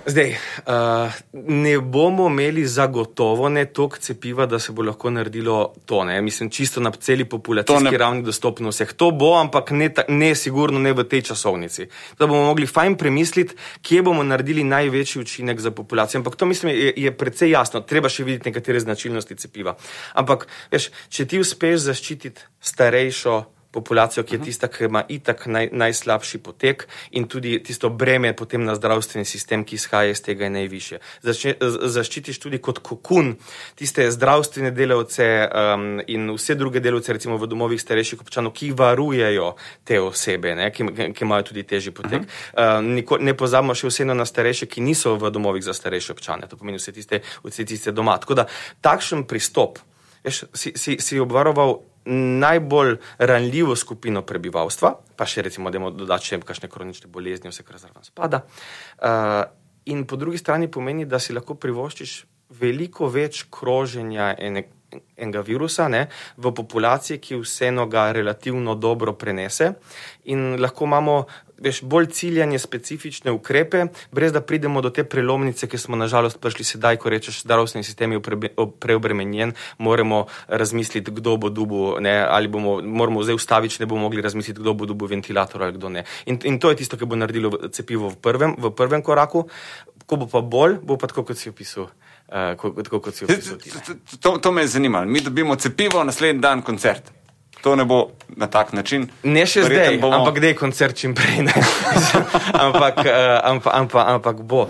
Zdaj, ne bomo imeli zagotovo ne toliko cepiva, da se bo lahko naredilo to, ne. Mislim, čisto na celi populacijski ravni dostopno vseh. To bo, ampak ne sigurno ne v tej časovnici. Da bomo mogli fajn premisliti, kje bomo naredili največji učinek za populacijo. Ampak to, mislim, je precej jasno. Treba še videti nekatere značilnosti cepiva. Ampak, veš, če ti uspeš zaščititi starejšo populacijo, ki je tista, ki ima itak najslabši potek in tudi tisto breme potem na zdravstveni sistem, ki izhaja iz tega je najvišje. Zaščitiš tudi kot kokun tiste zdravstvene delavce in vse druge delavce, recimo v domovih starejših občanov, ki varujejo te osebe, ne, ki imajo tudi težji potek. Ne pozabimo še vseeno na starejše, ki niso v domovih za starejše občane. To pomeni vse tiste doma. Tako da takšen pristop, veš, si obvaroval najbolj ranljivo skupino prebivalstva, pa še recimo, da dodati še kakšne kronične bolezni, vse, kar zraven spada. In po drugi strani pomeni, da si lahko privoščiš veliko več kroženja enega virusa, ne, v populaciji, ki vseeno ga relativno dobro prenese in lahko imamo, veš, bolj ciljanje specifične ukrepe, brez da pridemo do te prelomnice, ki smo nažalost prišli sedaj, ko rečeš, zdravstveni sistem je preobremenjen, moramo razmisliti, kdo bo dobil, ne, ali moramo zdaj ustaviti, ne bomo mogli razmisliti, kdo bo dobil ventilator ali kdo ne. In to je tisto, ki bo naredilo cepivo v prvem koraku. Ko bo pa bolj, bo pa tako, kot si opisal. To me je zanimalo. Mi dobimo cepivo, naslednji dan koncert. To ne bo na tak način. Ne še zdaj, ampak kdaj koncert čim prej, ne. ampak bo.